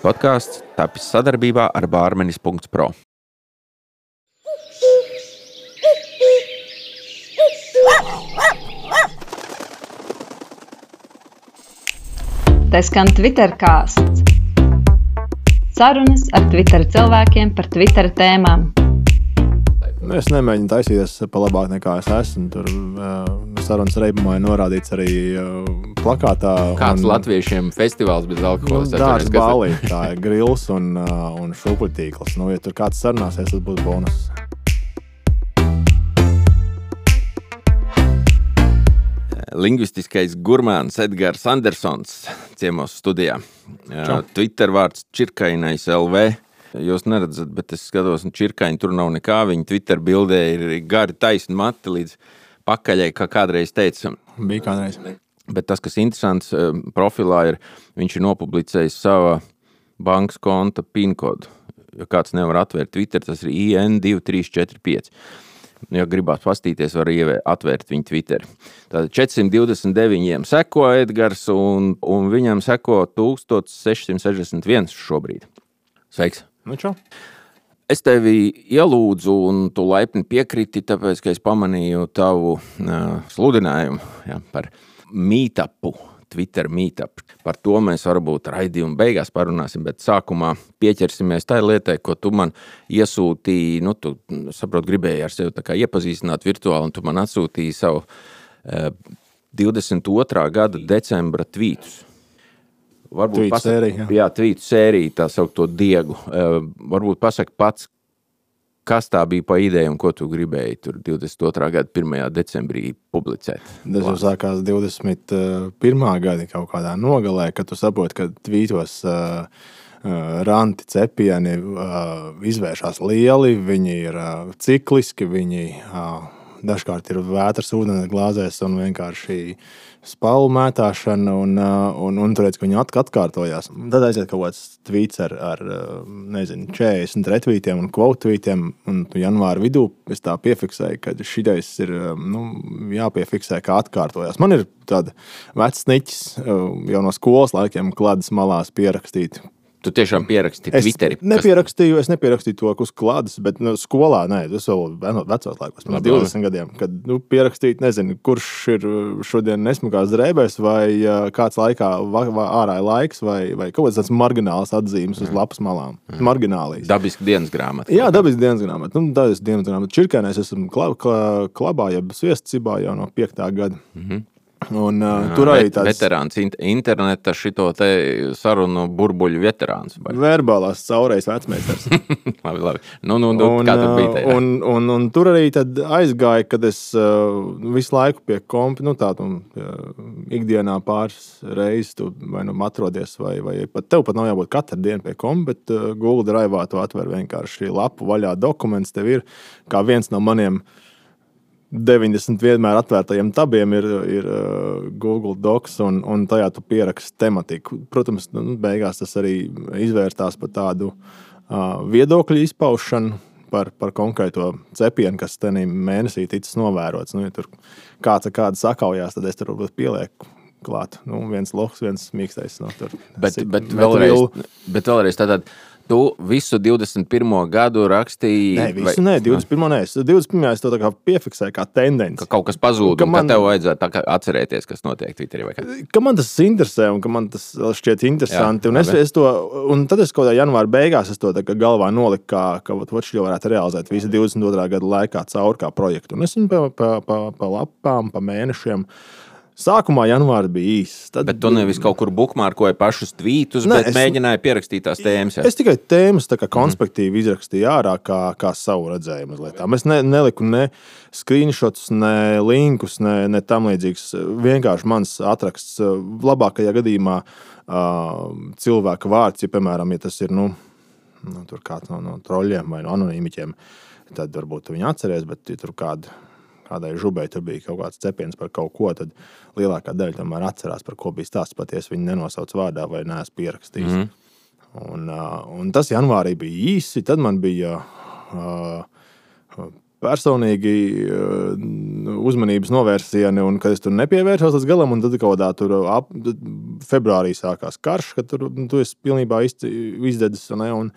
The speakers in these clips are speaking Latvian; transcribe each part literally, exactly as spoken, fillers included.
podkāsts tapis sadarbībā ar bārmenis punkts pro. Tā skan Twittercāsts. Sarunas ar Twitter cilvēkiem par Twitter tēmām. Es nemēģinu taisīties pa labāk nekā es esmu. Tur uh, sarunas reibumā ir norādīts arī uh, plakātā. Kāds un, latviešiem festivāls bez alkohola? Nu, dārgs balī, tā ir grils un, uh, un šūpuļtīkls. Nu, ja tur kāds sarunāsies, tas būtu bonus. Lingvistiskais gurmāns Edgars Andersons ciemos studijā. Čau. Twitter vārds Čirkainais L V. Jūs neredzat, bet es skatos, un Čirkaini tur nav nekā. Viņa Twitter bildē ir gari taisni mati līdz pakaļai, kā kādreiz teica. Bija kādreiz. Bet tas, kas interesants profilā ir, viņš ir nopublicējis sava bankas konta PIN kodu. Ja kāds nevar atvērt Twitter, tas ir I N divi trīs četri pieci. Ja gribās pastīties, var atvērt viņu Twitter. Tātad četrsimt divdesmit deviņiem seko Edgars, un, un viņam seko tūkstoš sešsimt sešdesmit viens šobrīd. Sveiks! Nu čo? Es tevi ielūdzu, un tu laipni piekriti, tāpēc, ka es pamanīju tavu uh, sludinājumu ja, par meetupu, Twitter meetup. Par to mēs varbūt raidījumu beigās parunāsim, bet sākumā pieķersimies tai lietai, ko tu man iesūtīji, nu, tu, saprot, gribēji ar sevi tā kā iepazīstināt virtuāli, un tu man atsūtīji savu uh, divdesmit otrā gada decembra tvītus. Varbūt tvītu sēriju, jā. Jā, tvītu sēriju, tā saukto Diegu. Uh, varbūt pasaka pats, kas tā bija pa ideju un ko tu gribēji tur divdesmit otrā gada pirmajā decembrī publicēt? Tas jau sākās divdesmit pirmā gada kaut kādā nogalē, kad tu saproti, ka tvītos uh, uh, ranti cepieni uh, izvēršās lieli, viņi ir uh, cikliski, viņi uh, dažkārt ir vētras ūdens glāzēs un vienkārši spalu mētāšana un, un, un turēc, ka viņi atkārtojās. Tad aiziet kaut kāds tvīts ar, ar nezinu, četrdesmit retvītiem un kvottvītiem, un janvāra vidū es tā piefiksēju, ka šitais ir nu, jāpiefiksē, kā atkārtojās. Man ir tāda vecs sniķis jau no skolas laikiem kladas malās pierakstīt. Tu tiešām pierakstīji Twitteri? Es nepierakstīju, es nepierakstīju to uz klādes, bet nu, skolā, nē, tas vēl vecos laikos, pirms divdesmit gadiem, kad nu, pierakstīt, nezinu, kurš ir šodien nesmukās drēbēs, vai uh, kāds laikā va, va, ārā ir laiks, vai, vai kaut kāds tāds margināls atzīmes uz lapas malām. Mm. Marginālijas. Dabiski dienas grāmata. Jā, dabiski dienas grāmata. Nu, dabiski dienas grāmata. Čirkainēs esmu klab, klab, klabā, ja sviestcibā jau no piektā gada. Mm-hmm. Un, uh, tur arī tāds veterāns interneta šito te sarunu burbuļu veterāns. Vai? Verbālās caurējas vecmeistars. labi, labi. Nu, nu, nu, un, kā tur bija tajā? Un, un, un tur arī tad aizgāja, kad es uh, visu laiku pie kompi, nu tā, tu uh, ikdienā pāris reizes tu vai nu atrodies, vai, vai pat tev pat nav jābūt katru dienu pie kompi, bet uh, Google Drive'ā tu atver vienkārši lapu vaļā dokuments, tev ir kā viens no maniem deviņdesmit vienmēr atvērtajiem tabiem ir, ir uh, Google Docs, un, un tajā tu pieraksti tematiku. Protams, nu, beigās tas arī izvērstās par tādu uh, viedokļu izpaušanu par, par konkrēto cepienu, kas tenī mēnesī ticis novērots. Nu, ja tur kāds ar kādu sakaujās, tad es tur varbūt pielieku klāt. Nu, viens lohs, viens mīkstais. No, tur, bet, bet, vēlreiz, bet vēlreiz tātad tu visu divdesmit pirmo gadu rakstīji... Nē, visu vai... nē, divdesmit pirmo nē. divdesmit pirmā es to tā kā piefiksēju kā tendenci. Ka kaut kas pazūd, ka un man... ka tev vajadzētu tā kā atcerēties, kas notiek Twitterī vai kā? Ka man tas interesē un ka man tas šķiet interesanti. Jā, un, es, es to, un tad es kaut kādā janvāra beigās es to tā kā galvā noliku, kā, ka vat šo varētu realizēt visu divdesmit otrā gada laikā caur kā projektu. Un es viņu pa, pa, pa, pa lapām, pa mēnešiem... Sākumā janvāra bija īss. Tad... Bet tu nevis kaut kur bukmārkoji pašus tvītus, ne, bet es... mēģināji pierakstīt tās tēmas. Jā. Es tikai tēmas tā kā konspektīvi mm-hmm. izrakstīju ārā kā, kā savu redzējumu lietām. Es ne, neliku ne screenshots, ne linkus, ne, ne tam līdzīgs. Vienkārši mans atraksts labākajā gadījumā uh, cilvēka vārds, ja, piemēram, ja tas ir, nu, nu tur kāds no, no troļļiem vai no anonīmiķiem, tad varbūt viņi atceries, bet ja tur kādu kādai žubai tur bija kaut kāds cepiens par kaut ko, tad lielākā daļa tomēr atcerās, par ko bija stāsts, paties viņi nenosauc vārdā vai neesmu pierakstījis. Mm-hmm. Un, uh, un tas janvārī bija īsi, tad man bija uh, personīgi uzmanības novērsieni, un kad es tur nepievēršos līdz galam, un tad kaut kādā tur ap, februārī sākās karš, kad tur nu, tu esi pilnībā izdedzis, un, un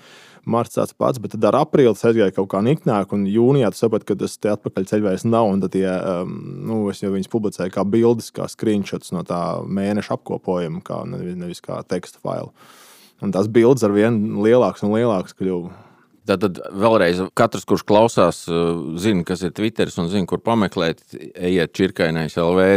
marts tāds pats, bet tad ar aprīli aizgāja kaut kā niknāk, un jūnijā tu saprati, ka tas te atpakaļ ceļvējs nav, un tad tie, nu, es jau viņas publicēju kā bildes, kā screenshots no tā mēneša apkopojuma, kā nevis kā teksta failu. Un tās bildes ar vien lielākas un lielākas kļuva. Tad vēlreiz katrs, kurš klausās, zina, kas ir Twitteris un zina, kur pameklēt, ejiet čirkainais L V,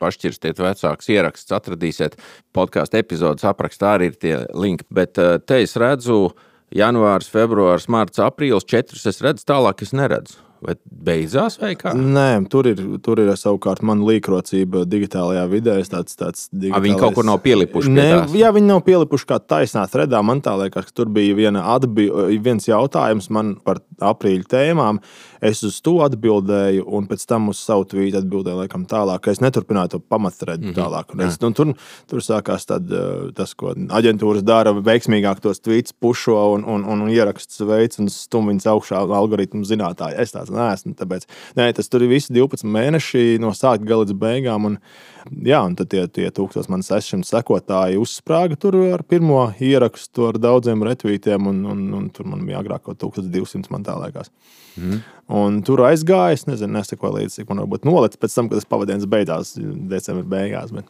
pašķirstiet vecāks ieraksts, atradīsiet podcastu epizodes aprakstā arī ir tie linki. Bet te es redzu janvārs, februārs, marts, aprīlis, četrus es redzu, tālāk es neredzu. Vai beidzās vai kā? Nē, tur ir, tur ir savukārt mana līkrocība digitālajā vidē. Tāds, tāds digitālais... A, viņi kaut kur nav pielipuši pie Nē, tās? Jā, viņi nav pielipuši kā taisnā threadā. Man tā liekas, ka tur bija viena atbi... viens jautājums man par aprīļa tēmām. Es uz to atbildēju, un pēc tam uz savu tvītu atbildēju laikam tālāk. Es neturpināju to pamatthredu mm-hmm. tālāk. Un es, nu, tur, tur sākās tad, tas, ko aģentūras dara, veiksmīgāk tos tvītus pušo un, un, un ieraksts veids un stum viņas augšā algoritmu zinātāji. Es tāds neesmu, tāpēc, nē, tas tur ir visi divpadsmit mēneši no sākt gala līdz beigām, un, jā, un tad tie, tie tūkstoši man sešsimt sekotāji uzsprāga tur ar pirmo ierakstu ar daudziem retvītiem, un, un, un tur man bija agrāk kaut tūkstoš divsimt, man tā liekas. Mm. Un tur aizgāja, es nezinu, nesakoju līdz, cik man varbūt nolec pēc tam, kad tas pavadiens beidzās, decembra beigās, bet...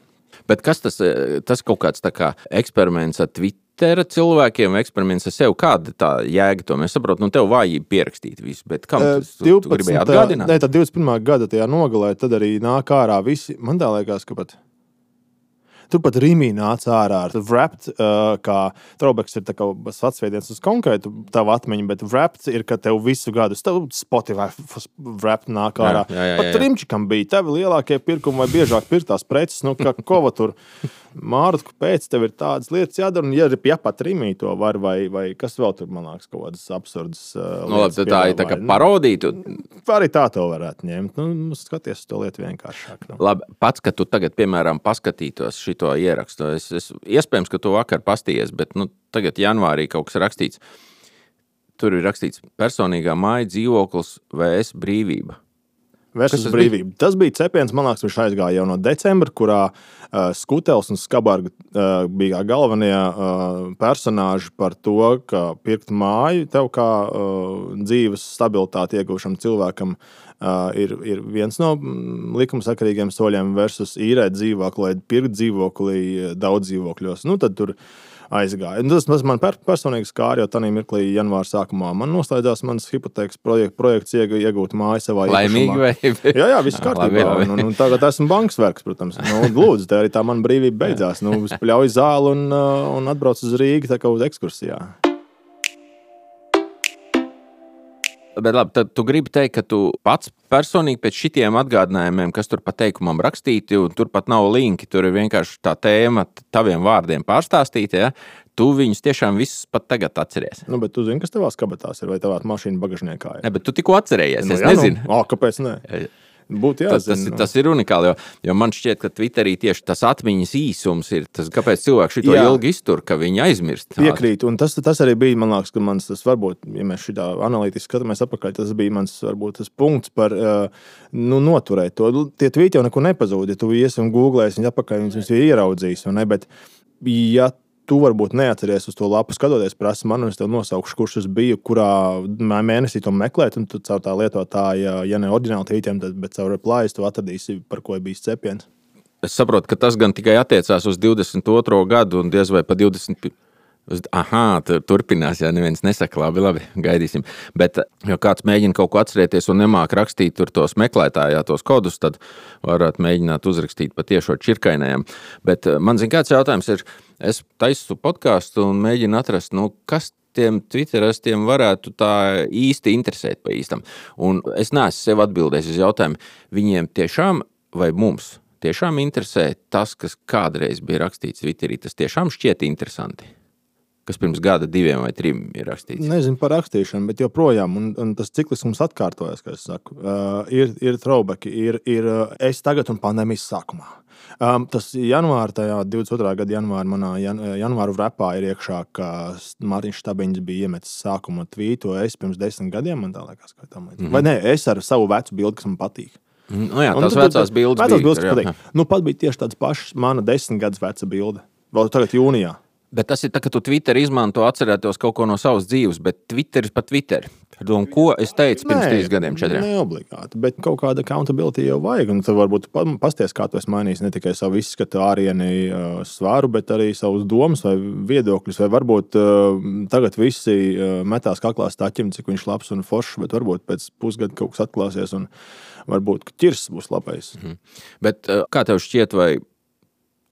Bet kas tas, tas kaut kāds tā kā eksperiments ar Twittera cilvēkiem, eksperiments ar sevi, kāda tā jēga to? Mēs saprotam, nu tev vājība pierakstīt visu, bet kam tas tu, divpadsmit, tu gribēji atgādināt? Nē, tā divdesmit pirmā gada tajā nogalē, tad arī nāk ārā visi, man tā liekas, ka pat... Tur pat Rīmī nāca ārā ar Wrapped, uh, kā throwbacks ir tā kā atsveidiens uz konkrētu tavu atmiņu, bet Wrapped ir, ka tev visu gadu Spotify Wrapped nāk ārā. Jā, jā, jā, jā. Pat Trimčikam bija tevi lielākie pirkumi vai biežāk pirktās preces, nu, ka kova tur Mārtu, pēc tev ir tādas lietas jādara, un ja, ja pat Rīmī to var, vai, vai kas vēl tur, man liekas, kaut kādas absurdas uh, no, labi, tā ir tā kā parodītu. Arī tā to varētu ņemt. Nu, skaties to lietu vienkāršāk. Nu. Labi, pats, ka tu tagad, piemēram, paskatītos šito ierakstu, es, es, iespējams, ka tu vakar pastījies, bet nu, tagad janvārī kaut kas rakstīts. Tur ir rakstīts personīgā māja dzīvoklis V S brīvība. Versus brīvība. Bija? Tas bija cepiens, man liekas, viņš aizgāja jau no decembra, kurā uh, Skutels un Skabarga uh, bija galvenie uh, personāži par to, ka pirkt māju tev kā uh, dzīves stabilitāti iegūšam cilvēkam uh, ir, ir viens no likumsakarīgiem soļiem versus īrēt dzīvokli, lai pirkt dzīvokli daudz dzīvokļos. Nu, tad tur aizgāja. Tas, tas man personīgi skāra, jo tanī mirklī janvāra sākumā man noslēdzās mans hipotēkas projekt, projekts iegūt māju savā Laimīgi vai? Jā, jā, viss kārtībā. Un, un, un tagad esmu bankas vergs, protams. Nu, lūdzu, te arī tā mana brīvība beidzās. Nu, es pļauju zāli un, un atbraucu uz Rīgu tā kā uz ekskursijā. Bet labi, tad tu gribi teikt, ka tu pats personīgi pēc šitiem atgādinājumiem, kas tur pa teikumam rakstīti, un tur pat nav linki, tur ir vienkārši tā tēma taviem vārdiem pārstāstīta, ja? Tu viņus tiešām visus pat tagad atceries. Nu, bet tu zini, kas tavās kabatās ir, vai tavā mašīna bagažniekā ir? Ne, bet tu tikko atcerējies, nu, es jā, nezinu. Nu, o, kāpēc ne? Būtu tas, tas, tas ir unikāli, jo, jo man šķiet, ka Twitterī tieši tas atmiņas īsums ir tas, kāpēc cilvēki šito jā. ilgi iztur, ka viņi aizmirst. Piekrīt, un tas, tas arī bija, man liekas, ka mans, tas varbūt, ja mēs šitā analītiski skatāmies apakaļ, tas bija mans, varbūt, tas punkts par, nu, noturēt to. Tie tvīti jau neko nepazūd, ja tu iesi un googlēsi, viņi apakaļ, viņus ir ieraudzījis, un ne, bet, ja tu varbūt neatceries uz to lapu skatoties, prasa man, un es tev nosaukšu, kurš es biju, kurā mēnesī to meklēt, un tu caur tā lietotāja, ja ne oriģināli tvītiem, tad, bet caur replājas tu atradīsi, par ko ir bijis cepiens. Es saprotu, ka tas gan tikai attiecās uz divdesmit otro gadu un diez vai pa divdesmit Aha, turpinās, ja neviens nesaka, labi, labi, gaidīsim. Bet, ja kāds mēģina kaut ko atcerēties un nemāk rakstīt tur tos meklētājā, tos kodus, tad varētu mēģināt uzrakstīt pa tiešo čirkainējam. Bet man zin, kāds jautājums ir, es taisu podcastu un mēģinu atrast, nu, kas tiem twitterastiem varētu tā īsti interesēt pa īstam. Un es neesmu sev atbildējis uz jautājumu, viņiem tiešām vai mums tiešām interesē tas, kas kādreiz bija rakstīts Twitterī, tas tiešām šķiet interesanti. kas pirms gada diviem vai trim ir rakstīts? Nezinu par rakstīšanu, bet joprojām, un, un tas ciklisms atkārtojas, kā es saku. Uh, ir, ir throwbacki, ir, ir uh, es tagad un pandēmijas sākumā. Um, tas janvāra, tajā divdesmit otrā gada janvāra, manā jan, janvāru repā ir iekšā, ka Mārtiņš Štabiņš bija iemetis sākuma tvītu, es pirms desmit gadiem, man tā liekas, ka tam līdz. Mm-hmm. Vai ne, es ar savu vecu bildi, kas man patīk. Nu jā, tās vecās bildes vecās bija. Bildes, jā, jā. Nu, pat bija tieši tāds pašs mana desmit gadus veca bilde. Vēl tagad jūnijā. Bet tas ir tā, ka tu Twitter izmanto, atcerētos kaut ko no savas dzīves, bet Twitteris pa Twitter. Un ko es teicu pirms trīs gadiem, četriem? Ne obligāti, bet kaut kāda accountability jau vajag. Un tu varbūt pasties, kā tu esi mainījis ne tikai savu izskatu ārieni uh, svaru, bet arī savus domas vai viedokļus. Vai varbūt uh, tagad visi uh, metās kaklā staķim, cik viņš labs un foršs, bet varbūt pēc pusgada kaut kas atklāsies un varbūt ķirs būs labais. Mhm. Bet uh, kā tev šķiet, vai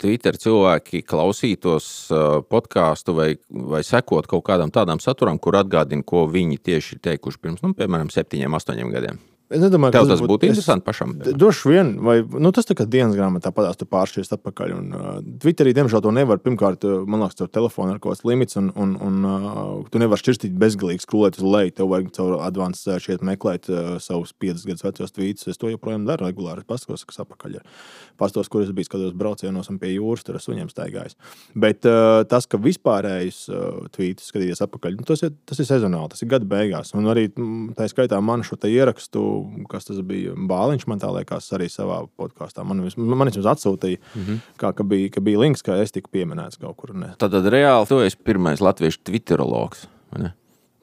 Twitter cilvēki klausītos uh, podcastu vai, vai sekot kaut kādam tādam saturam, kur atgādina, ko viņi tieši teikuši pirms, nu, piemēram, septiņiem, astoņiem gadiem? Es nedomāju, Tev tas būtu būt interesanti pašam? Droši vien, vai, nu, tas tā kā dienas grāmatā padās, tu pāršķies atpakaļ. Un, uh, Twitterī, diemžēl, to nevar. Pirmkārt, man liekas, caur telefonu ar kaut kāds limits, un, un, un uh, tu nevar šķirstīt bezgalīgi skrolēt uz leju. Tev vajag caur advanced search iet meklēt uh, savus piecus gadus vecos tweetus. Es to joprojām daru regulāri. Es paskatos, kas apakaļ ir. Pastos, kur es biju, skatos braucienos un pie jūras, tur es suņiem staigājis. Bet uh, tas, ka vispārējais uh, tweetus skatīties apakaļ, nu, tas, ir, tas ir sezonāli, tas ir gada beigās. Un arī tā skaitā man šo te ierakstu, kas tas bija Bāliņš, man tā liekas, arī savā podkāstā. Man, man vismaz atsūtīja, mm-hmm. kā, ka, bija, ka bija links, ka es tiku pieminēts kaut kur. Ne. Tātad reāli tu esi pirmais latviešu twitterologs, vai ne?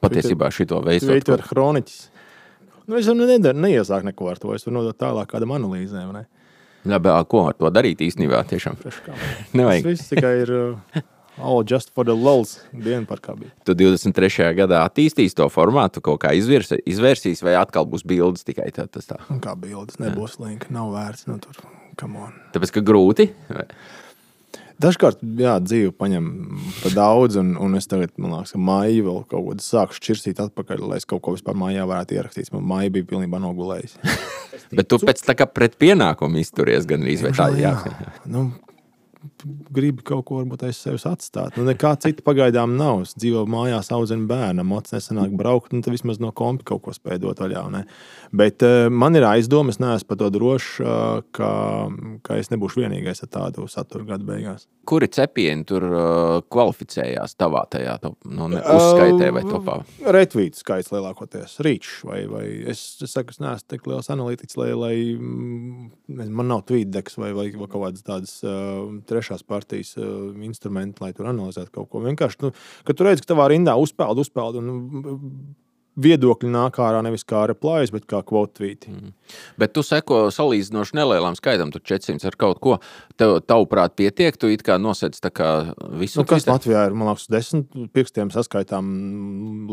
Patiesībā šito veicot. Twitter hroniķis. Nu, es jau nedar, neiesāk neko ar to, es varu nodot tālāk kādam analīzēm, vai ne? Jā, bet ko ar to darīt īstenībā tiešām? Nevajag. Tas viss tikai ir... Uh, all just for the lulz, dienu par kā bija. Tu divdesmit trešajā gadā attīstīs to formātu, kaut kā izvirs, izvērsīs, vai atkal būs bildes tikai tā, tas tā? Un kā bildes, nebūs linka, nav vērts, nu tur, come on. Tāpēc, ka grūti? Vai? Dažkārt, jā, dzīve paņem pa daudz, un, un es tagad, man liekas, ka maiju vēl kaut ko sāku šķirsīt atpakaļ, lai es kaut ko vispār mājā varētu ierakstīt. Man maija bija pilnībā nogulējis. Bet tu pēc tā kā pret pienākumu izturies gan arī, vai tā, jā. jā. Nu, gribi kaut ko varbūt aiz sevis atstāt. Nu, nekā cita pagaidām nav. Es dzīvoju mājās, audzinu bērnu, moc nesanāk braukt, nu tad vismaz no kompi kaut ko spēj dot vaļā. Ne? Bet uh, man ir aizdomas, es neesmu par to drošs, uh, ka, ka es nebūšu vienīgais ar tādu saturu gadu beigās. Kuri cepieni tur uh, kvalificējās tavā tajā top, nu, ne, uzskaitē vai topā? Uh, Retvītu skaits lielākoties, reach, vai, vai es, es saku, es neesmu tik liels analītiķis, lai, lai man nav tweetdeks vai, vai, vai kaut kādas tādas uh, trešās partijas uh, instrumenti, lai tur analizētu kaut ko. Vienkārši, nu, kad tu redzi, ka tavā rindā uzpeld, uzpeld un viedokļi nāk ārā nevis kā replājas, bet kā quote tweeti. Mm. Bet tu seko salīdzinoši nelielām skaitam, tu četrsimt ar kaut ko. Tev, tavuprāt, pietiek, tu it kā nosec tā kā visu. Nu, kas Latvijā ir, man liekas, desmit pirkstiem saskaitām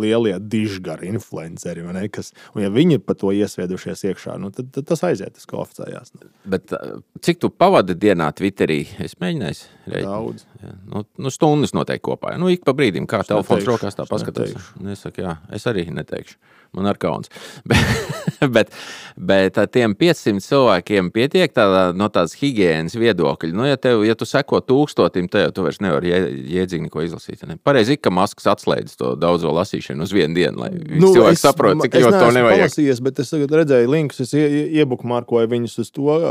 lielie dižgari influenceri, vai ne? Kas, un ja viņi pa to iesviedušies iekšā, nu, tad, tad tas aiziet, tas kvalificējās. Bet cik tu pavadi dienā Twitterī? Es mēģināju. Daudz. Jā, nu, nu, stundas noteikti kopā. Nu, ik pa brīdim, kā es telefons neteikšu, rokās tā paskatās. Nesaku, jā, es arī neteikšu. Man ar kauns. bet, bet, bet tiem piecsimt cilvēkiem pietiek tādā, no tādas higienas viedokļa. Nu, ja, tev, ja tu seko tūkstotim, tev tu vairs nevar jēdzīgi neko izlasīt. Ne? Pareizi, ka Masks atslēdz to daudzo lasīšanu uz vienu dienu, lai nu, cilvēki saprot, cik ļoti to nevajag. Es neesmu palasījies, bet es redzēju linkus, es iebukmārkoju viņus uz to,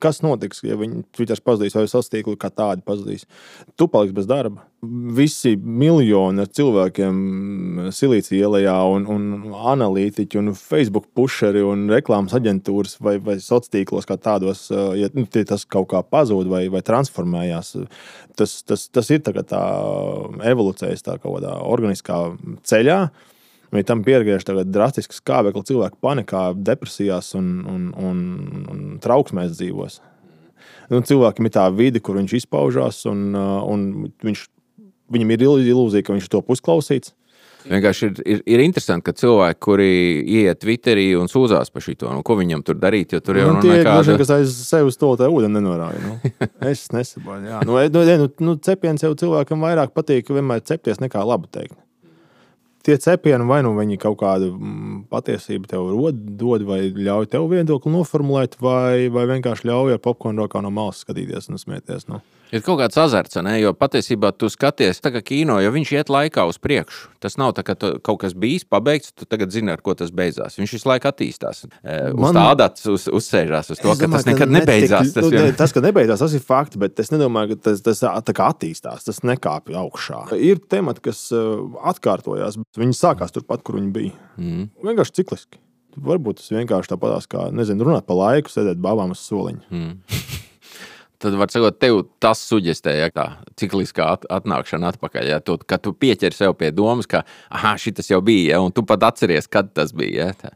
kas notiks, ja viņi Twitters pazudīs vai sociālos tīklus kā tādi pazudīs. Tu paliksi bez darba. Visi miljoni ar cilvēkiem Silīcija ielajā un, un analītiķi un Facebook pušeri un reklāmas aģentūras vai, vai sociālos kā tādos, ja nu, tas kaut kā pazūd vai, vai transformējās, tas, tas, tas ir tā, tā evolucijas tā kaut kādā organiskā ceļā. Vai tam piergriež tagad drastisks skābekli, cilvēku panikā, depresijās un, un, un, un trauksmēs dzīvos. Nu, cilvēkiem ir tā vide, kur viņš izpaužās un, un viņš viņam ir ilūzija, ka viņš to pusklausīts. Vienkārši ir, ir, ir interesanti, ka cilvēki, kuri ieiet Twitterī un sūdzās par šito, nu, ko viņam tur darīt, jo tur jau nu, nu nekāda... Tie ir, kas aiz sevi uz to tā ūdeni nenorāja. Nu. Es nesaboju, jā. Nu, nu, nu, cepiens jau cilvēkam vairāk patīk vienmēr cepties nekā labu teikt. Tie cepieni vai nu viņi kaut kādu patiesību tev rod, dod vai ļauj tev viedokli noformulēt, vai, vai vienkārši ļauj ar popkornu rokā no malas skatīties un smieties. Nu. Ir kaut kāds azarts, ne? Jo patiesībā tu skaties tā kā kino, jo viņš iet laikā uz priekšu. Tas nav tā, ka tu, kaut kas bijis pabeigts, tu tagad zini, ar ko tas beidzās. Viņš visu laiku attīstās. Uz Man... tā adats uz, uzsēžās uz to, es ka domāju, tas nekad ka nebeidzās. Netik, tas, vien... tas, ka nebeidzās, tas ir fakti, bet es nedomāju, ka tas, tas tā kā attīstās, tas nekāpj augšā. Ir temati, kas atkārtojās, viņi sākās turpat, kur viņi bija. Mm. Vienkārši cikliski. Varbūt tas vienkārši tāpatās kā, nezinu, runāt pa laiku, sēdēt babām uz soliņa. Mm. Tad, var sakot, tev tas suģestē, ja, tā cikliskā at, atnākšana atpakaļ, ja, tu, ka tu pieķeri sev pie domas, ka, aha, šitas jau bija, ja, un tu pat atceries, kad tas bija, ja. Tā,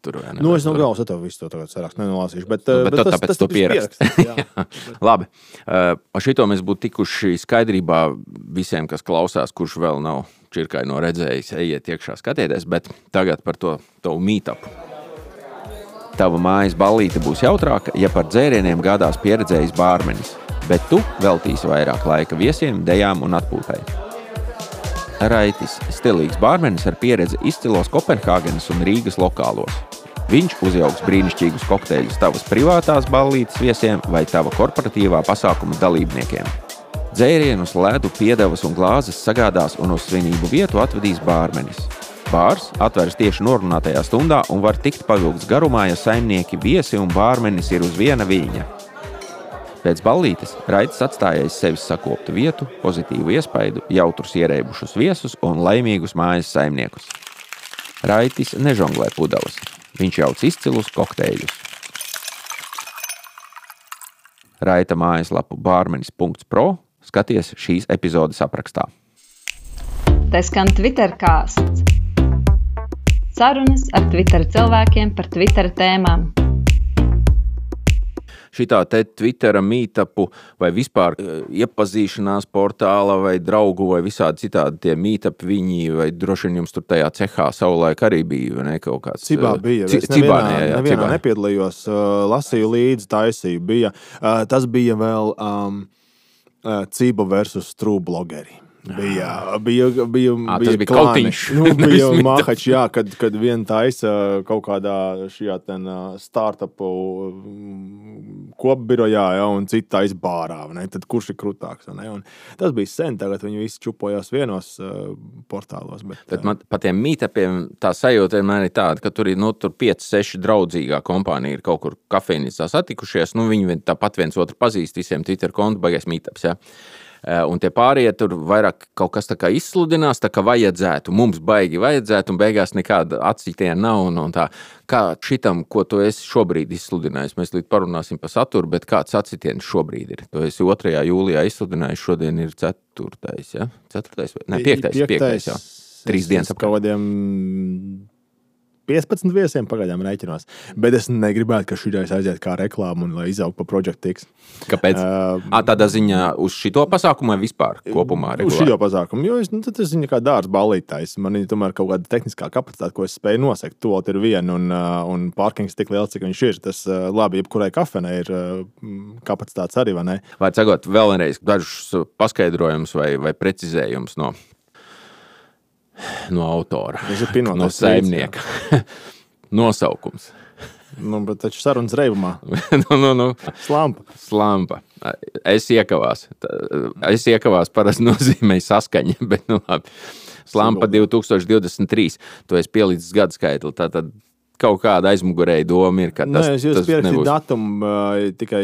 tur, ja, ne, nu, es no galvas ar tev visu to tagad sarakstu nenolasīšu, bet, nu, bet, bet tas, tāpēc tas, to pierakst. Labi, uh, ar šito mēs būtu tikuši skaidrībā visiem, kas klausās, kurš vēl nav čirkai no redzējis, ejiet iekšā skatieties, bet tagad par to tavu meetupu. Tava mājas ballīte būs jautrāka, ja par dzērieniem gādās pieredzējis bārmenis, bet tu veltīsi vairāk laika viesiem, dejām un atpūtai. Raitis – stilīgs bārmenis ar pieredzi izcilos Kopenhāgenes un Rīgas lokālos. Viņš uzjauks brīnišķīgus kokteļus tavas privātās ballītes viesiem vai tava korporatīvā pasākuma dalībniekiem. Dzērienus, ledu, piedevas un glāzes sagādās un uz svinību vietu atvedīs bārmenis. Bārs atveras tieši norunātajā stundā un var tikt pavilgts garumā, ja saimnieki, viesi un bārmenis ir uz viena viļņa. Pēc ballītes Raitis atstājais sevis sakoptu vietu, pozitīvu iespaidu, jautrus ierēbušus viesus un laimīgus mājas saimniekus. Raitis nežonglē pudeles. Viņš jauc izcilus kokteļus. Raita mājaslapu bārmenis punkts pro skaties šīs epizodes aprakstā. Tas skan Twitter kāsts. Sarunas ar Twitter cilvēkiem par Twitter tēmām. Šitā te Twittera meetupu vai vispār iepazīšanās portāla vai draugu vai visādi citādi tie meetup viņi vai droši vien jums tur tajā cehā savulaik arī bija, vai ne, kaut kāds? Cibā bija. C- es nevienā, Cibā, jā, jā, nevienā Cibā. nepiedalījos, lasīju līdzi, taisīju. Bija, tas bija vēl um, Ciba versus True blogeri. Bija, bija, bija, à, bija tas bija klāni. kautiņš. Nu, bija mahač, jā, kad, kad vien taisa kaut kādā šajā ten startupu kopbirojā, ja, un cita taisa bārā, ne? Tad kurš ir krutāks, ne? Un tas bija sen, tagad viņi visi čupojās vienos uh, portālos. Bet, Tad man pa tiem meetupiem tā sajūta vienmēr ir tāda, ka tur ir, nu, tur pieci, seši draudzīgā kompānija ir kaut kur kafejnīcā satikušies, nu, viņi tāpat viens otru pazīst, visiem Twitter kontu, baigais meetups, ja. Un tie pārējie tur vairāk kaut kas tā kā izsludinās, tā kā vajadzētu, mums baigi vajadzētu, un beigās nekāda atsitiena nav. Un, un tā, kā šitam, ko tu esi šobrīd izsludinājis, mēs līdz parunāsim par saturu, bet kāds atsitiens šobrīd ir? Tu esi otrajā jūlijā izsludinājis, šodien ir ceturtais, ja? Ceturtais, ne, piektais, piektais, jā. Trīs dienas ap kādiem piecpadsmit viesiem pagaidām rēķinos. Bet es negribētu, ka šitais aiziet kā reklāma un lai izaug pa Project X. Kāpēc? Uh, à, tādā ziņā uz šito pasākumu vai vispār kopumā regulāri? Uz šito pasākumu, jo es, nu, tad es viņu kā dārts ballītājs. Man ir tomēr kaut kāda tehniskā kapacitāte, ko es spēju nosekt. Tuvot ir viena un, un parkings tik liels, cik viņš ir. Tas labi, jebkurai kafenei ir kapacitātes arī, vai ne? Vai cagot vēlreiz dažus paskaidrojumus vai, vai precizējumus no no autora, no saimnieka. Nosaukums. Nu, bet taču sarunas reibumā. nu, nu, nu. Slampa. Slampa. Es iekavās. Es iekavās parasti nozīmēju saskaņa, bet nu labi. Slampa divi tūkstoši divdesmit trīs. Tu esi pielicis gadu skaitli, tātad kaut kāda aizmugurēja doma ir, ka tas, Nē, es jūs tas pierakstīju nebūs. datumu uh, tikai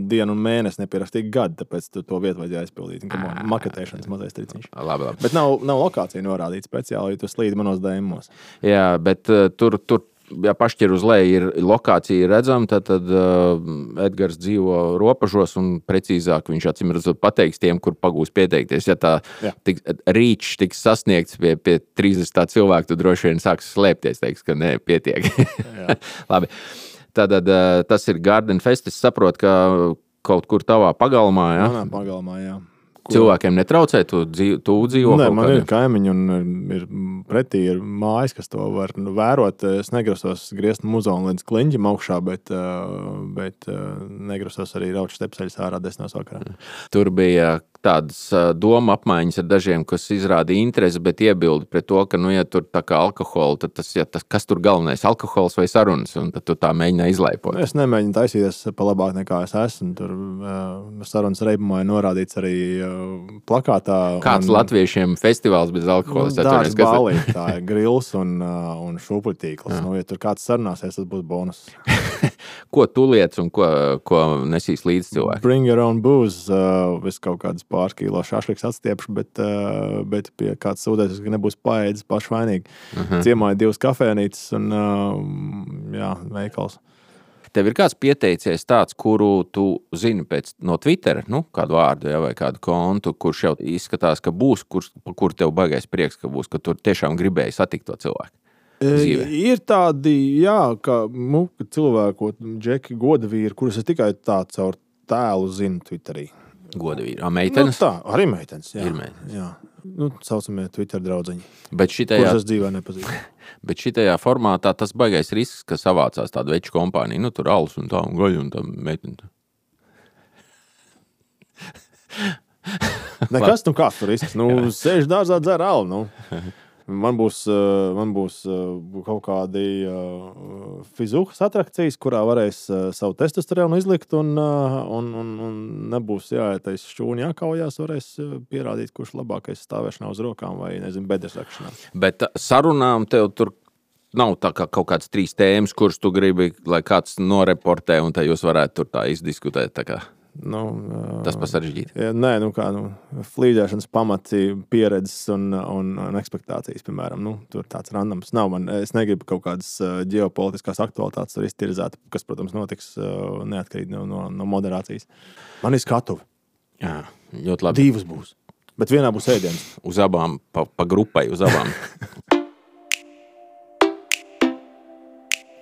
dienu un mēnesi nepierakstīju gadu, tāpēc tu to vietu vajadzēja aizpildīt. Maketēšanas mazais triciņš. Labi, labi. Bet nav, nav lokācija norādīta speciāli, jo tu slīdi manos dēmos. Jā, bet uh, tur, tur, ja pašķir uz leju ir lokācija redzama, tad, tad uh, Edgars dzīvo Ropažos un precīzāk viņš acīm redzot pateiks tiem, kur pagūs pieteikties. Ja tā tik, rīčs tiks sasniegts pie, pie trīsdesmit cilvēku, tad droši vien sāks slēpties, teiks, ka nē, pietiek. Labi. Tātad uh, tas ir Garden Fest. Es saprotu, ka kaut kur tavā pagalmā, ja? Manā pagalmā, jā. Cilvēkiem netraucē, tu, dzīvo, tu dzīvo? Nē, man ir kaimiņi un ir pretī ir mājas, kas to var nu, vērot. Es negrasos griezt muzonu līdz kliņģim augšā, bet, bet negrasos arī rauču stepseļus ārā desmitos vakarā. Tur bija tādas doma apmaiņas ar dažiem, kas izrāda interesi, bet iebildi pret to, ka, nu, ja tur tā kā alkoholu, tad tas, ja tas, kas tur galvenais, alkohols vai sarunas, un tad tu tā mēģināji izlaipot. Es nemēģinu taisīties pa labāk nekā es esmu. Tur uh, sarunas reibumā ir norādīts arī uh, plakātā. Kāds un, latviešiem festivāls bez alkohola? Nu, dārgs balī, tā ir grils un, uh, un šūpuļtīkls. Nu, ja tur kāds sarunāsies, tas būs bonus. Ko tu liec un ko, ko nesīs līdz cilvēki? Bring your own booze. Uh, es kaut kādas pāris kilo šašliks atstiepšu, bet, uh, bet pie kāds sūdēs, ka nebūs paēdis pašvainīgi. Uh-huh. Ciemā ir divas kafēnītes un uh, jā, veikals. Tev ir kāds pieteicies tāds, kuru tu zini pēc no Twittera, nu, kādu vārdu, ja, vai kādu kontu, kurš jau izskatās, ka būs, kur, kur tev baigais prieks, ka būs, ka tu tiešām gribēji satikt to cilvēku? Dzīvē. Ir tādi, jā, ka muka cilvēku, džeki godavīri, kurus es tikai tā caur tēlu zinu Twitterī. Godavīri. A, meitenes? Nu, tā, arī meitenes, jā. Ir meitenes. Jā. Nu, saucamie Twitter draudziņi. Bet šitajā, kurus es dzīvē nepazīstu. Bet šitajā formātā tas baigais risks, ka savācās tādu veču kompāniju, nu, tur alus un tā, un gaļu un tā meiteni. Nekas, nu kāds tur risks? Nu, sēž dārzā dzer alu, nu. Man būs, man būs kaut kādi fizuhas atrakcijas, kurā varēs savu testosteronu izlikt un, un, un, un nebūs jāietais šķūni jākaujās, varēs pierādīt, kurš labākais stāvēšanā uz rokām vai, nezinu, bedresakšanā. Bet sarunām tev tur nav tā kā kaut kāds trīs tēmas, kuras tu gribi, lai kāds noreportē un tā jūs varētu tur tā izdiskutēt tā kā. Nu, tas pasaržģīt. Jā, nē, nu kā, nu, flīdēšanas pamati, pieredzes un, un, un ekspektācijas, piemēram, nu, tur tāds randoms nav. Man, es negribu kaut kādas ģeopolitiskās aktualitātes tur iztirzēt, kas, protams, notiks neatkarīgi no, no, no moderācijas. Man ir skatuvi. Jā, ļoti labi. Divas būs, bet vienā būs ēdienas. Uz abām, pa, pa grupai, uz abām.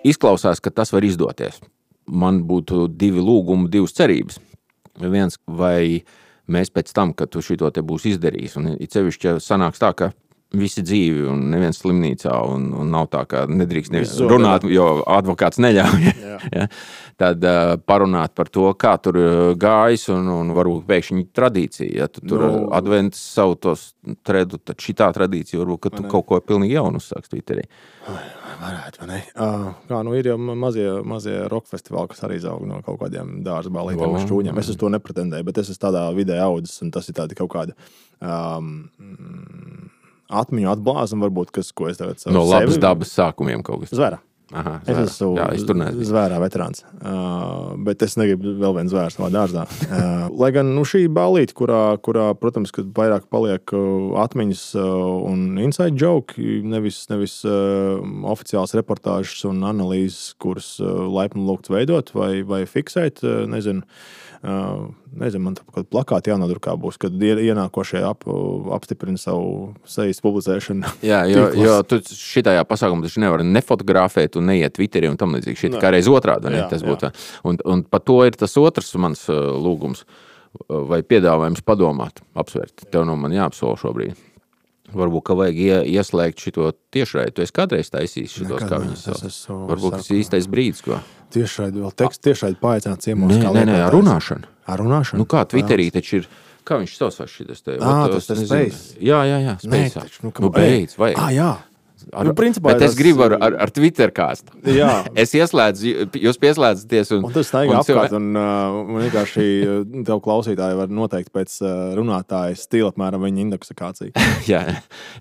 Izklausās, ka tas var izdoties. Man būtu divi lūgumi, divas cerības. Viens, vai mēs pēc tam, kad tu šito te būs izdarījis, un it sevišķi sanāks tā, ka visi dzīvi un neviens slimnīcā, un, un nav tā, ka nedrīkst nevis runāt, jo advokāts neļauj. Ja? Tad uh, parunāt par to, kā tur gājis, un, un varbūt pēkšņi tradīcija. Ja tu tur no. adventus savu tos tredu, tad šitā tradīcija varbūt, ka tu kaut ko pilnīgi jaunu uzsāks Twitterī. Varētu, vai ne? Uh, kā, nu ir jau mazie, mazie rock festivāli, kas arī zaug no kaut kādiem dārza balītiem un šķūņiem. Es uz to nepretendēju, bet es esmu tādā vidē audzis, un tas ir tādi kaut kāda um, atmiņu atblāzuma, varbūt, kas, ko es tagad savu no labas sevi... dabas sākumiem kaut kas. Zvērā. Aha, es esmu Jā, es zvērā veterāns, uh, bet es negribu vēl vienu zvēru savā dārzā. Uh, lai gan nu, šī balīte, kurā, kurā, protams, kad vairāk paliek uh, atmiņas uh, un inside joke, nevis, nevis uh, oficiāls reportāžas un analīzes, kuras uh, laipni lūgts veidot vai, vai fiksēt, uh, nezinu, uh, nezinu, man tā kāda plakāta jānodrukā būs, kad ienākošie ap, apstiprina savu sejas publicēšanu. Jā, jo, jo tu šitajā pasākumā taču nevar nefotografēt un neiet Twitterī un tam līdzīgi. Šit kā reiz otrādi, ne? Jā, tas būtu. Un, un par to ir tas otrs mans lūgums vai piedāvājums padomāt, apsvērt. Tev no man jāapsola šobrīd. Varbūt, ka vajag ie, ieslēgt šito tiešraidi. Tu esi kādreiz taisījis šitos, kā viņas sauc. Varbūt, tas ir īstais brīdis, ko. Tiešraidi, vēl teksts tiešraidi paaicināt ciemos. Nē, nē, nē, ar runāšanu. Ar runāšanu? Nu kā Twitterī taču ir, kā viņš saucās šitas te? Ā, tas ir Space. Jā, jā, jā, Space. Nē, taču, nu, nu beidz, vajag. Ā, jā. Ar, nu, principā, bet es tas... gribu ar, ar, ar Twitter kāstu. Jā. Es ieslēdzu, jūs pieslēdzaties. Un, un tu staigā apkārt, cilvē... un uh, vienkārši tev klausītāji var noteikt pēc uh, runātāja stila apmēram viņa indeksikāciju. jā,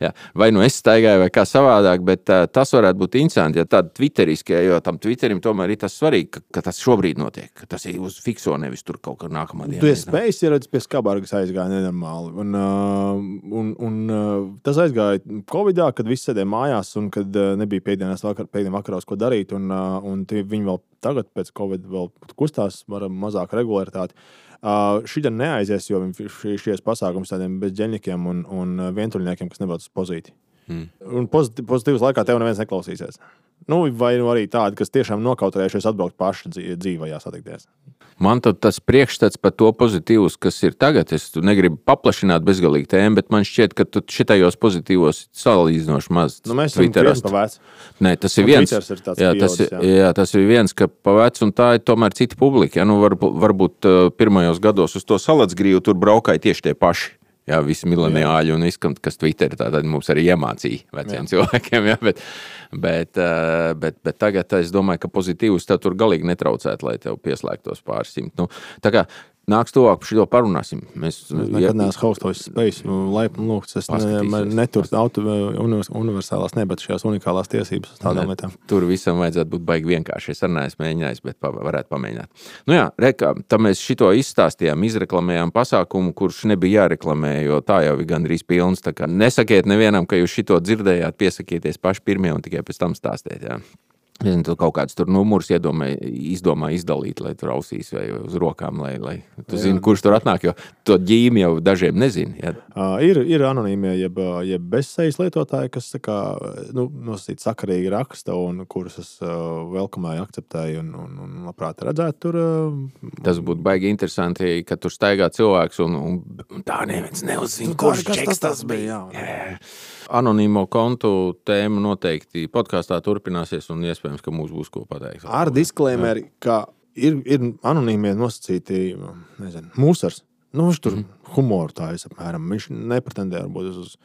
jā. Vai nu es staigāju, vai kā savādāk, bet uh, tas varētu būt interesanti, ja tāda twitteriskie, jo tam Twitterim tomēr ir tas svarīgi, ka, ka tas šobrīd notiek, ka tas ir uz fikso, nevis tur kaut kā nākamā dienā. Tu esi spējis ieradis pie Skabargas aizgāja nenormāli. Un, uh, un, un uh, tas aizgāja Covidā, kad visi sēdēja mājās un kad uh, nebija pēdienas vakar, pēdien vakaros, ko darīt, un, uh, un viņi vēl tagad pēc Covid vēl kustās, varam mazāk regularitāti. Uh, šitā neaizies, jo viņi šies pasākums tādiem bezģeņikiem un, un vientuļniekiem, kas nebrauc uz pozīti. Hmm. Un pozitīvas laikā tev neviens neklausīsies. Nu, vai nu arī tādi, kas tiešām nokautrējušies atbraukt paši dzīvajā satikties. Man tad tas priekšstats par to pozitīvus, kas ir tagad. Es negribu paplašināt bezgalīgi tēmu, bet man šķiet, ka tu šitajos pozitīvos salīdzinoši maz. Nu, mēs esam krietni pa veci. Nē, tas ir viens. Ir jā, tas, jā. jā, tas ir viens, ka pa veci, un tā ir tomēr cita publika. Ja? Nu, var, varbūt pirmajos gados uz to salacgrīvu tur braukāja tieši tie paši. Jā, visi mileniāļi un izskan, kas Twitteri tātad mums arī iemācīja veciem jā. cilvēkiem, jā, bet, bet, bet, bet tagad es domāju, ka pozitīvus tev tur galīgi netraucētu, lai tev pieslēgtos pāris simt. Nu, tā kā nāks tuvāk par šito parunāsim. Mēs, es nekad ja, neesmu haustojis spējis, laipni lūgts, es ne, neturu auto universālās, ne, bet šajās unikālās tiesības uz tādām lietām. Tur visam vajadzētu būt baigi vienkārši. Es arī neesmu mēģinājis, bet pa, varētu pamēģināt. Nu jā, reka, tā mēs šito izstāstījām, izreklamējām pasākumu, kurš nebija jāreklamē, jo tā jau ir gandrīz pilns. Tā kā nesakiet nevienam, ka jūs šito dzirdējāt, piesakieties paši pirmie un tikai pēc tam stāstiet, jā. Es tu kaut kāds tur numurs iedomā, izdomā izdalīt, lai tur ausīs vai uz rokām, lai, lai tu zini, kurš tur atnāk, jo to ģīmi jau dažiem nezini. Ja? Uh, ir, ir anonīmie, jeb, jeb bezsejas lietotāji, kas kā, nu, nosacīt sakarīgi raksta un kurus es uh, velkamēju, akceptēju un, un, un labprāt redzētu tur. Uh, Tas būtu baigi interesanti, ka tur staigā cilvēks un, un tā neviens neuzzina, kurš čeks tas bija. Jā, jā. Anonīmo kontu tēma noteikti podkāstā turpināsies un iespējams, ka mums būs ko pateikt. Ar disklēmeri, ka ir, ir anonīmie nosacīti, nezinu, mūsars. Nu, viņš tur mm. humoru tājas apmēram. Viņš nepretendē varbūt uz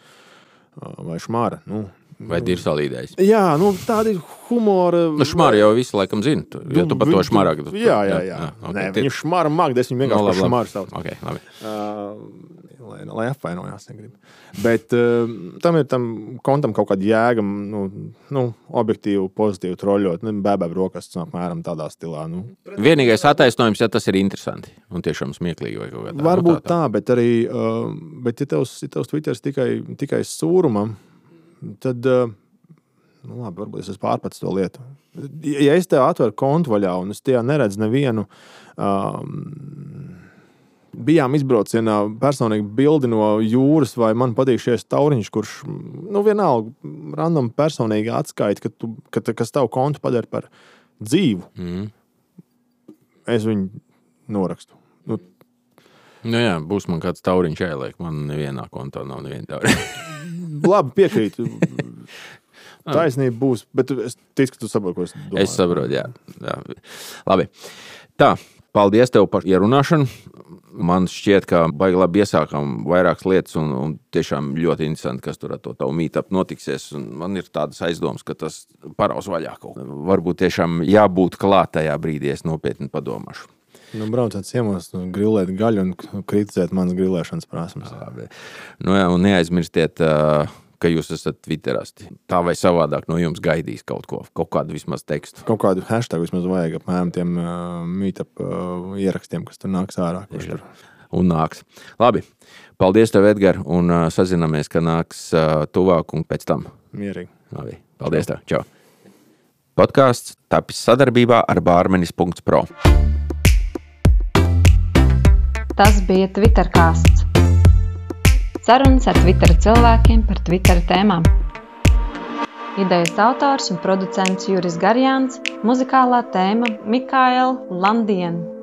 vai šmāra. Nu, vai dirsalīdējs. Jā, nu tādi humora... Nu, šmāra jau visi laikam zina, tu, jo tu par to šmārā. Tu, jā, jā, jā. jā. Okay. Nē, viņu šmāra mag, es viņu vienkārši no, par šmāru sauc. Okay, labi. Uh, lai, lai apvainojās, negribu. Bet uh, tam ir tam kontam kaut kāda jēga, nu, nu objektīvu, pozitīvu troļot, nu, bēbēb rokas, apmēram tādā stilā. Nu. Vienīgais attaisnojums, ja tas ir interesanti un tiešām smieklīgi vai kaut kā tā. Varbūt tā, tā, bet arī, uh, bet ja tevs, ja tevs Twitters tikai, tikai sūrumam, tad, nu labi, varbūt es esmu pārpats to lietu. Ja es tev atveru kontu vaļā un es tajā neredzu nevienu, um, bijām izbraucienā personīgi bildi no jūras vai man patīk šies tauriņš, kurš, nu vienalga, random personīgi atskaita, ka tu, ka, kas tavu kontu padara par dzīvu. Mm. Es viņu norakstu. Nu, nu jā, būs man kāds tauriņš jāieliek, man nevienā kontā nav neviena tauriņa. Labi, piekrītu. Taisnība būs, bet es ticu, ka tu saproti, ko es domāju. Es saprotu, jā. jā. Labi. Tā, paldies tev par ierunāšanu. Man šķiet, ka baigi labi iesākām vairākas lietas un, un tiešām ļoti interesanti, kas tur ar to tavu meetup notiksies. Un man ir tādas aizdomas, ka tas paraus vaļā kaut. Varbūt tiešām jābūt klāt tajā brīdī, es nopietni padomāšu. Nu, braucāt ciemos, nu, grillēt gaļu un kritizēt manas grillēšanas prasmes. Nu jā, un neaizmirstiet, ka jūs esat Twitterasti. Tā vai savādāk no jums gaidīs kaut ko, kaut kādu vismaz tekstu. Kaut kādu hashtag vismaz vajag apmēram tiem uh, meetup uh, ierakstiem, kas tur nāks ārā. Tur... Un nāks. Labi, paldies tev, Edgar, un uh, sazināmies, ka nāks uh, tuvāk un pēc tam. Mierīgi. Labi, paldies tev. Čau. Podcasts tapis sadarbībā ar bārmenis punkts pro. Tas bija Twitterkāsts. Sarunas ar Twitter cilvēkiem par Twitter tēmām. Idejas autors un producents Juris Garjāns, muzikālā tēma Mikaela Landiena.